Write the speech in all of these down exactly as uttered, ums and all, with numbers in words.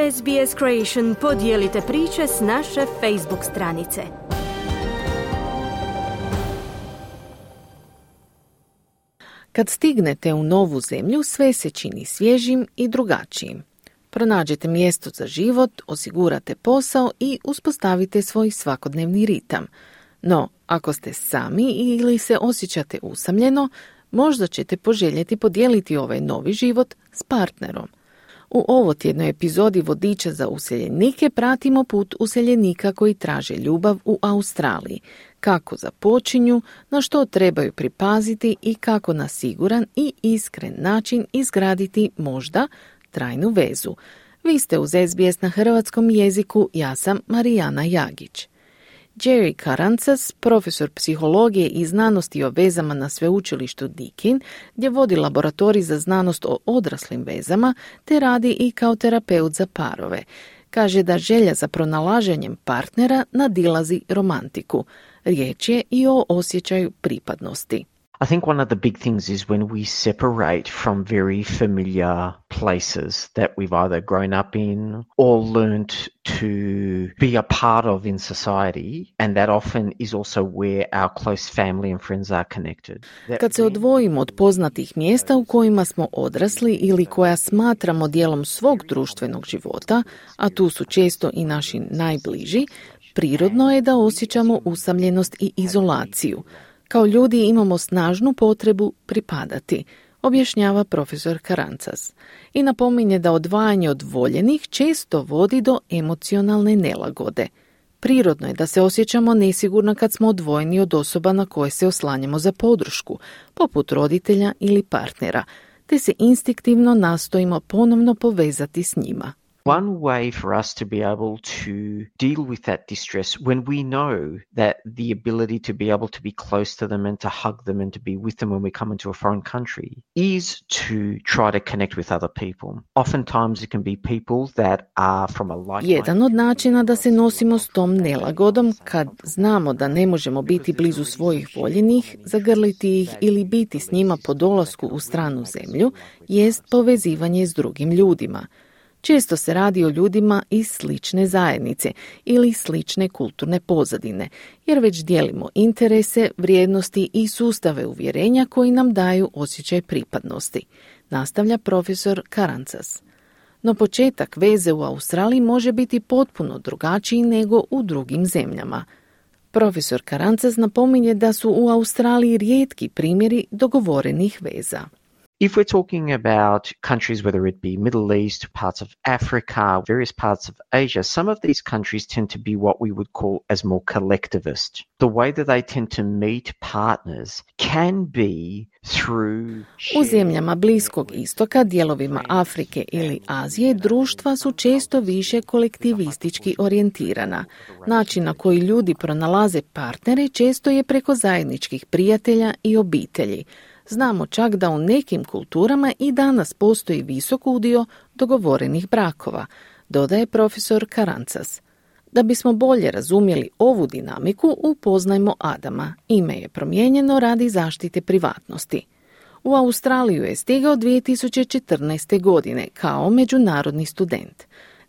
S B S Creation podijelite priče s naše Facebook stranice. Kad stignete u novu zemlju, sve se čini svježim i drugačijim. Pronađete mjesto za život, osigurate posao i uspostavite svoj svakodnevni ritam. No, ako ste sami ili se osjećate usamljeno, možda ćete poželjeti podijeliti ovaj novi život s partnerom. U ovotjednoj epizodi Vodiča za useljenike pratimo put useljenika koji traže ljubav u Australiji, kako započinju, na što trebaju pripaziti i kako na siguran i iskren način izgraditi možda trajnu vezu. Vi ste uz S B S na hrvatskom jeziku, ja sam Marijana Jagić. Jerry Karancas, profesor psihologije i znanosti o vezama na sveučilištu Deakin, gdje vodi laboratorij za znanost o odraslim vezama, te radi i kao terapeut za parove. Kaže da želja za pronalaženjem partnera nadilazi romantiku. Riječ je i o osjećaju pripadnosti. I think one of the big things is when we separate from very familiar places that we've either grown up in or learned to be a part of in society, and that often is also where our close family and friends are connected. Kad se odvojimo od poznatih mjesta u kojima smo odrasli ili koja smatramo dijelom svog društvenog života, a tu su često i naši najbliži, prirodno je da osjećamo usamljenost i izolaciju. Kao ljudi imamo snažnu potrebu pripadati, objašnjava profesor Karancas. I napominje da odvajanje od voljenih često vodi do emocionalne nelagode. Prirodno je da se osjećamo nesigurno kad smo odvojeni od osoba na koje se oslanjamo za podršku, poput roditelja ili partnera, te se instinktivno nastojimo ponovno povezati s njima. One way for us to be able to deal with that distress when we know that the ability to be able to be close to them and to hug them and to be with them when we come into a foreign country is to try to connect with other people. Oftentimes it can be people that are from a like-minded... Jedan od načina da se nosimo s tom nelagodom kad znamo da ne možemo biti blizu svojih voljenih, zagrliti ih ili biti s njima po dolasku u stranu zemlju, jest povezivanje s drugim ljudima. Često se radi o ljudima iz slične zajednice ili slične kulturne pozadine, jer već dijelimo interese, vrijednosti i sustave uvjerenja koji nam daju osjećaj pripadnosti, nastavlja profesor Karancas. No početak veze u Australiji može biti potpuno drugačiji nego u drugim zemljama. Profesor Karancas napominje da su u Australiji rijetki primjeri dogovorenih veza. If we're talking about countries, whether it be Middle East, parts of Africa, various parts of Asia, some of these countries tend to be what we would call as more collectivist. The way that they tend to meet partners can be through... U zemljama Bliskog istoka, dijelovima Afrike ili Azije, društva su često više kolektivistički orijentirana. Način na koji ljudi pronalaze partnere često je preko zajedničkih prijatelja i obitelji. Znamo čak da u nekim kulturama i danas postoji visok udio dogovorenih brakova, dodaje profesor Karancas. Da bismo bolje razumjeli ovu dinamiku, upoznajmo Adama. Ime je promijenjeno radi zaštite privatnosti. U Australiju je stigao dvije tisuće četrnaeste. godine kao međunarodni student.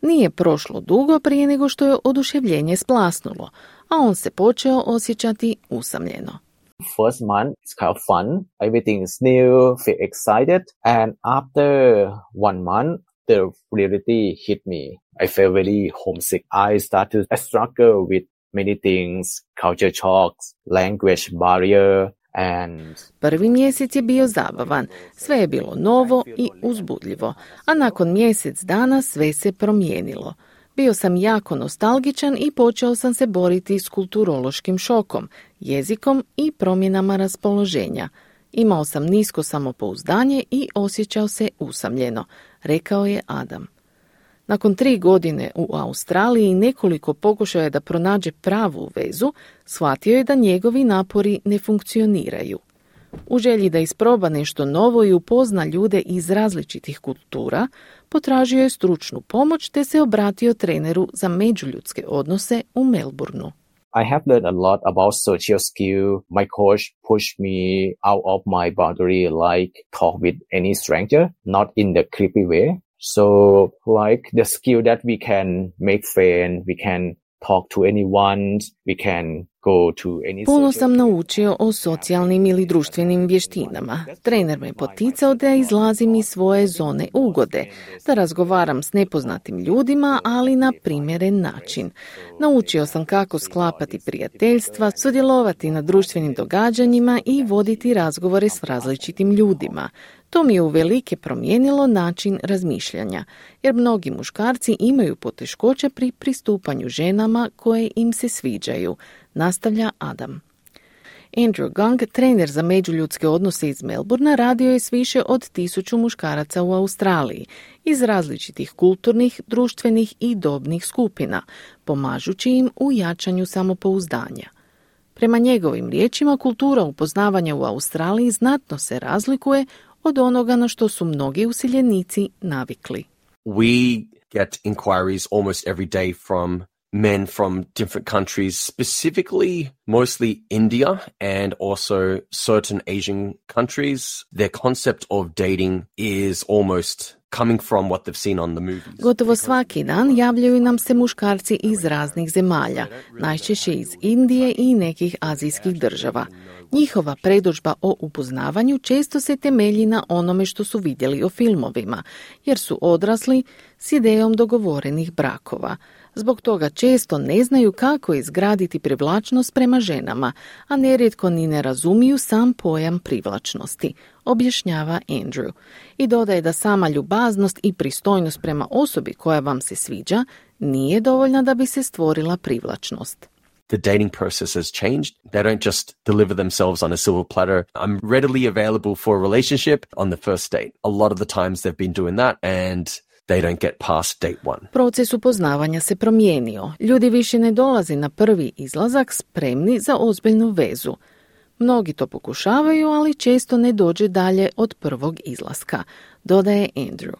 Nije prošlo dugo prije nego što je oduševljenje splasnulo, a on se počeo osjećati usamljeno. First month, it's kind of fun. Everything is new, feel excited. And after one month, the reality hit me. I felt very homesick. I started to struggle with many things, culture shocks, language barrier, and... Prvi mjesec je bio zabavan. Sve je bilo novo i uzbudljivo. A nakon mjesec dana sve se promijenilo. Bio sam jako nostalgičan i počeo sam se boriti s kulturološkim šokom, jezikom i promjenama raspoloženja. Imao sam nisko samopouzdanje i osjećao se usamljeno, rekao je Adam. Nakon tri godine u Australiji i nekoliko pokušaja da pronađe pravu vezu, shvatio je da njegovi napori ne funkcioniraju. U želji da isproba nešto novo i upozna ljude iz različitih kultura, potražio je stručnu pomoć te se obratio treneru za međuljudske odnose u Melbourneu. I have learned a lot about social skill. My coach pushed me out of my boundary, like talk with any stranger, not in the creepy way. So like the skill that we can make friends, we can talk to anyone, we can go to any... Puno sam naučio o socijalnim ili društvenim vještinama. Trener me poticao da izlazim iz svoje zone ugode, da razgovaram s nepoznatim ljudima, ali na primjeren način. Naučio sam kako sklapati prijateljstva, sudjelovati na društvenim događanjima i voditi razgovore s različitim ljudima. To mi je uvelike promijenilo način razmišljanja, jer mnogi muškarci imaju poteškoća pri pristupanju ženama koje im se sviđaju, nastavlja Adam. Andrew Gang, trener za međuljudske odnose iz Melbourna, radio je s više od tisuću muškaraca u Australiji iz različitih kulturnih, društvenih i dobnih skupina, pomažući im u jačanju samopouzdanja. Prema njegovim riječima, kultura upoznavanja u Australiji znatno se razlikuje od onoga na što su mnogi useljenici navikli. We get inquiries almost every day from men from different countries, specifically mostly India and also certain Asian countries. Their concept of dating is almost coming from what they've seen on the movies. Gotovo svaki dan javljaju nam se muškarci iz raznih zemalja, najčešće iz Indije i nekih azijskih država. Njihova predodžba o upoznavanju često se temelji na onome što su vidjeli o filmovima, jer su odrasli s idejom dogovorenih brakova. Zbog toga često ne znaju kako izgraditi privlačnost prema ženama, a nerijetko ni ne razumiju sam pojam privlačnosti, objašnjava Andrew. I dodaje da sama ljubaznost i pristojnost prema osobi koja vam se sviđa nije dovoljna da bi se stvorila privlačnost. The dating process has changed. They don't just deliver themselves on a silver platter. I'm readily available for a relationship on the first date. A lot of the times they've been doing that and they don't get past date one. Proces upoznavanja se promijenio. Ljudi više ne dolaze na prvi izlazak spremni za ozbiljnu vezu. Mnogi to pokušavaju, ali često ne dođe dalje od prvog izlaska, dodaje Andrew.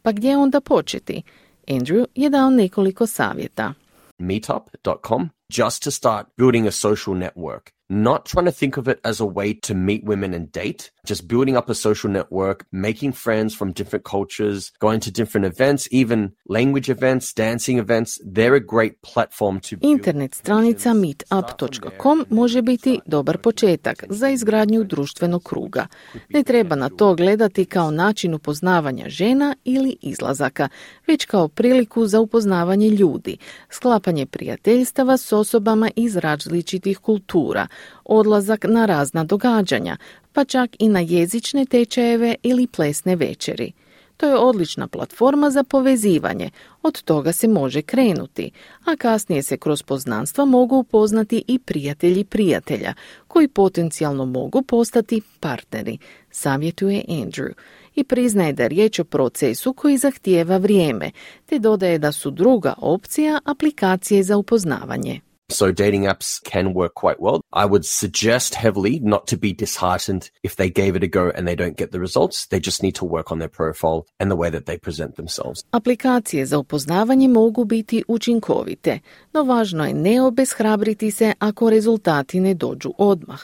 Pa gdje onda početi? Andrew je dao nekoliko savjeta. meetup dot com just to start building a social network. Not trying to think of it as a way to meet women and date, just building up a social network, making friends from different cultures, going to different events, even language events, dancing events. They're a great platform to build. Internet stranica meetup dot com može biti dobar početak za izgradnju društvenog kruga. Ne treba na to gledati kao način upoznavanja žena ili izlazaka, već kao priliku za upoznavanje ljudi, sklapanje prijateljstava s osobama iz različitih kultura, odlazak na razna događanja, pa čak i na jezične tečajeve ili plesne večeri. To je odlična platforma za povezivanje, od toga se može krenuti, a kasnije se kroz poznanstva mogu upoznati i prijatelji prijatelja, koji potencijalno mogu postati partneri, savjetuje Andrew. I priznaje da je riječ o procesu koji zahtijeva vrijeme, te dodaje da su druga opcija aplikacije za upoznavanje. So dating apps can work quite well. I would suggest heavily not to be disheartened if they gave it a go and they don't get the results. They just need to work on their profile and the way that they present themselves. Aplikacije za upoznavanje mogu biti učinkovite, no važno je ne obeshrabriti se ako rezultati ne dođu odmah.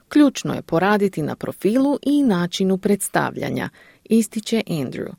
Ključno je poraditi na profilu i načinu predstavljanja, ističe Andrew.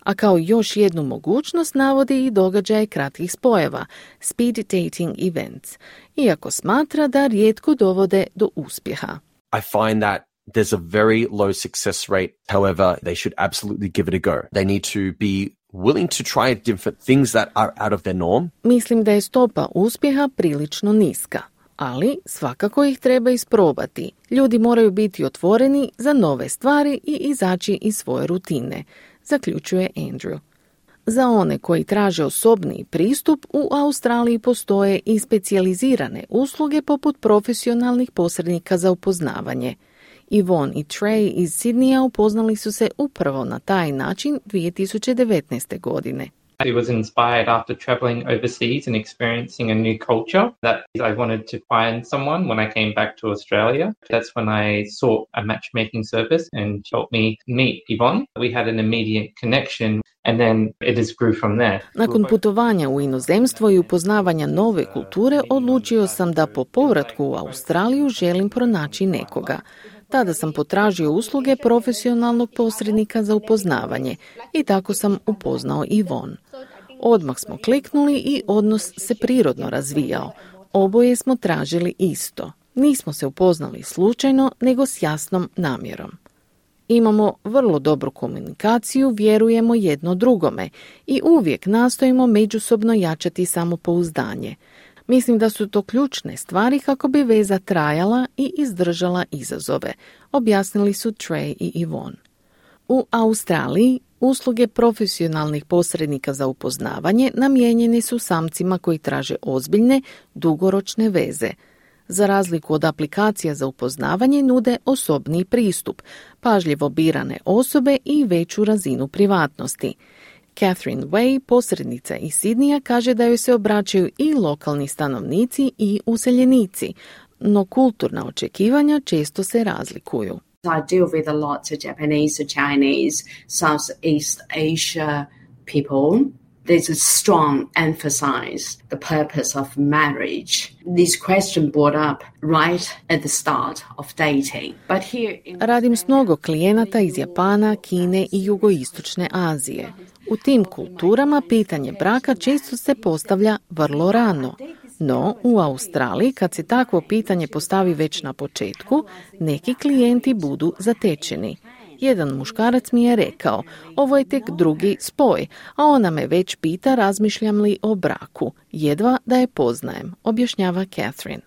A kao još jednu mogućnost navodi i događaje kratkih spojeva, speed dating events, iako smatra da rijetko dovode do uspjeha. I find that there's a very low success rate. However, they should absolutely give it a go. They need to be willing to try different things that are out of their norm. Mislim da je stopa uspjeha prilično niska, ali svakako ih treba isprobati. Ljudi moraju biti otvoreni za nove stvari i izaći iz svoje rutine, zaključuje Andrew. Za one koji traže osobniji pristup, u Australiji postoje i specijalizirane usluge poput profesionalnih posrednika za upoznavanje. Yvonne i Trey iz Sydneya upoznali su se upravo na taj način dvije tisuće devetnaeste. godine. It was inspired after traveling overseas and experiencing a new culture that I wanted to find someone when I came back to Australia. That's when I sought a matchmaking service and helped me meet Yvonne. We had an immediate connection and then it just grew from there. Nakon putovanja u inozemstvo i upoznavanja nove kulture, odlučio sam da po povratku u Australiju želim pronaći nekoga. Tada sam potražio usluge profesionalnog posrednika za upoznavanje i tako sam upoznao Yvonne. Odmah smo kliknuli i odnos se prirodno razvijao. Oboje smo tražili isto. Nismo se upoznali slučajno, nego s jasnom namjerom. Imamo vrlo dobru komunikaciju, vjerujemo jedno drugome i uvijek nastojimo međusobno jačati samopouzdanje. Mislim da su to ključne stvari kako bi veza trajala i izdržala izazove, objasnili su Trey i Yvonne. U Australiji usluge profesionalnih posrednika za upoznavanje namijenjene su samcima koji traže ozbiljne, dugoročne veze. Za razliku od aplikacija za upoznavanje nude osobni pristup, pažljivo birane osobe i veću razinu privatnosti. Catherine Way, posrednica iz Sidnija, kaže da joj se obraćaju i lokalni stanovnici i useljenici, no kulturna očekivanja često se razlikuju. I deal with a lot of Japanese, Chinese, Southeast Asia people. There's a strong emphasis the purpose of marriage. This question brought up right at the start of dating. But here in Radim s mnogo klijenata iz Japana, Kine i jugoistočne Azije. U tim kulturama pitanje braka često se postavlja vrlo rano. No, u Australiji, kad se takvo pitanje postavi već na početku, neki klijenti budu zatečeni. Jedan muškarac mi je rekao, ovo je tek drugi spoj, a ona me već pita razmišljam li o braku, jedva da je poznajem, objašnjava Catherine.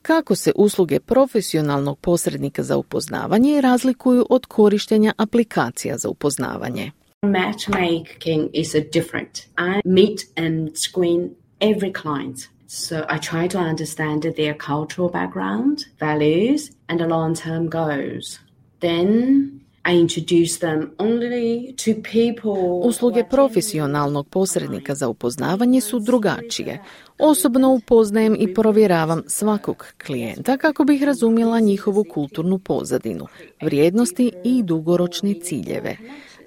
Kako se usluge profesionalnog posrednika za upoznavanje razlikuju od korištenja aplikacija za upoznavanje? Matchmaking is a different. I meet and screen every client. So I try to understand their cultural background, values, and the long-term goals. Then I introduce them only to people. Usluge profesionalnog posrednika za upoznavanje su drugačije. Osobno upoznajem i provjeravam svakog klijenta kako bih razumjela njihovu kulturnu pozadinu, vrijednosti i dugoročne ciljeve.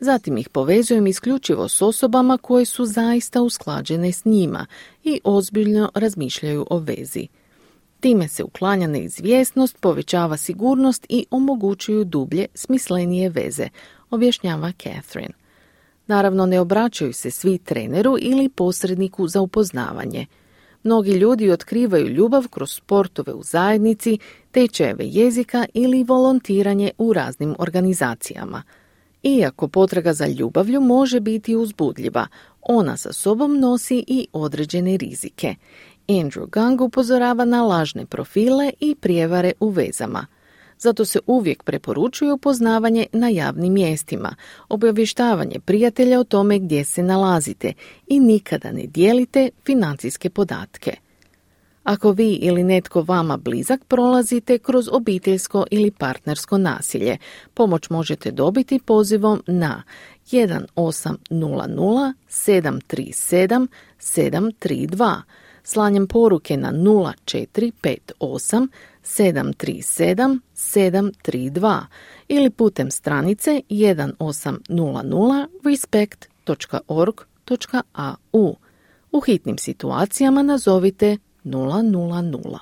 Zatim ih povezujem isključivo s osobama koje su zaista usklađene s njima i ozbiljno razmišljaju o vezi. Time se uklanja neizvjesnost, povećava sigurnost i omogućuju dublje, smislenije veze, objašnjava Catherine. Naravno, ne obraćaju se svi treneru ili posredniku za upoznavanje. Mnogi ljudi otkrivaju ljubav kroz sportove u zajednici, tečajeve jezika ili volontiranje u raznim organizacijama. Iako potraga za ljubavlju može biti uzbudljiva, ona sa sobom nosi i određene rizike. Andrew Gang upozorava na lažne profile i prijevare u vezama. Zato se uvijek preporučuje upoznavanje na javnim mjestima, obavještavanje prijatelja o tome gdje se nalazite i nikada ne dijelite financijske podatke. Ako vi ili netko vama blizak prolazite kroz obiteljsko ili partnersko nasilje, pomoć možete dobiti pozivom na jedan osam nula nula sedam tri sedam sedam tri dva, slanjem poruke na nula četiri pet osam sedam tri sedam sedam tri dva ili putem stranice jedan osam nula nula respect dot org dot a u. U hitnim situacijama nazovite nula nula nula.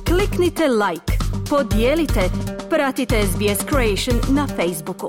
Kliknite like, podijelite, pratite S B S Creation na Facebooku.